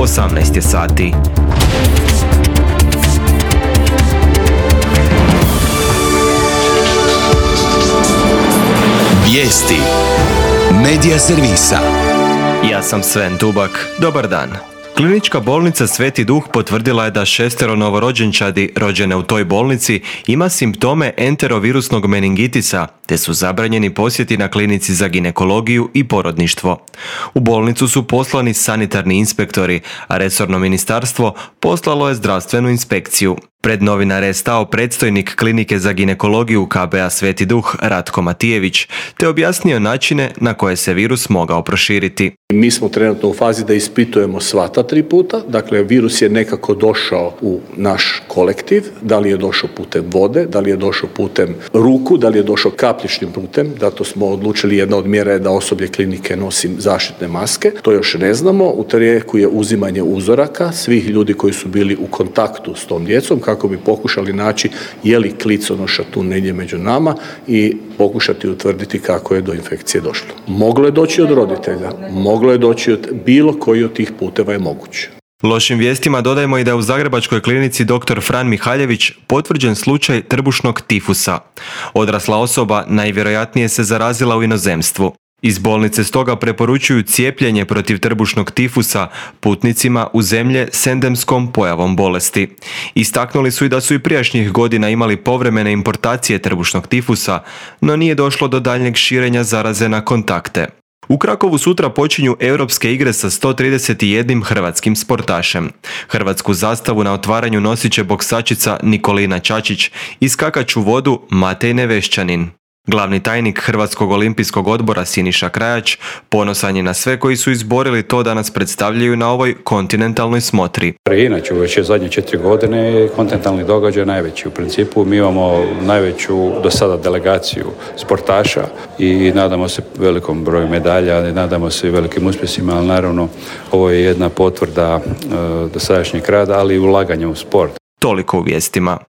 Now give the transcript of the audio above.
18 je sati. Vijesti Medija servisa. Ja sam Sven Tubak. Dobar dan. Klinička bolnica Sveti Duh potvrdila je da 6 novorođenčadi rođene u toj bolnici ima simptome enterovirusnog meningitisa, te su zabranjeni posjeti na klinici za ginekologiju i porodništvo. U bolnicu su poslani sanitarni inspektori, a resorno ministarstvo poslalo je zdravstvenu inspekciju. Pred novinare je stao predstojnik klinike za ginekologiju KBA Sveti Duh Ratko Matijević, te objasnio načine na koje se virus mogao proširiti. Mi smo trenutno u fazi da ispitujemo sva ta 3 puta, dakle virus je nekako došao u naš kolektiv, da li je došao putem vode, da li je došao putem ruku, da li je došao kapljičnim putem, zato smo odlučili, jedna od mjera je da osoblje klinike nosi zaštitne maske, to još ne znamo, u tijeku je uzimanje uzoraka svih ljudi koji su bili u kontaktu s tom djecom, kako bi pokušali naći je li kliconoša tu negdje među nama i pokušati utvrditi kako je do infekcije došlo. Moglo je doći od roditelja, moglo je doći od bilo koji od tih puteva je moguće. Lošim vijestima dodajemo i da je u zagrebačkoj klinici dr. Fran Mihaljević potvrđen slučaj trbušnog tifusa. Odrasla osoba najvjerojatnije se zarazila u inozemstvu. Iz bolnice stoga preporučuju cijepljenje protiv trbušnog tifusa putnicima u zemlje s endemskom pojavom bolesti. Istaknuli su i da su i prijašnjih godina imali povremene importacije trbušnog tifusa, no nije došlo do daljnjeg širenja zaraze na kontakte. U Krakovu sutra počinju europske igre sa 131 hrvatskim sportašem. Hrvatsku zastavu na otvaranju nosit će boksačica Nikolina Čačić i skakač u vodu Matej Nevešćanin. Glavni tajnik Hrvatskog olimpijskog odbora Siniša Krajač ponosan je na sve koji su izborili to da nas predstavljaju na ovoj kontinentalnoj smotri. Inače, već je zadnje 4 godine kontinentalni događaj najveći. U principu mi imamo najveću do sada delegaciju sportaša i nadamo se velikom broju medalja, i nadamo se i velikim uspjesima, ali naravno ovo je jedna potvrda dosadašnjeg rada, ali i ulaganja u sport. Toliko u vijestima.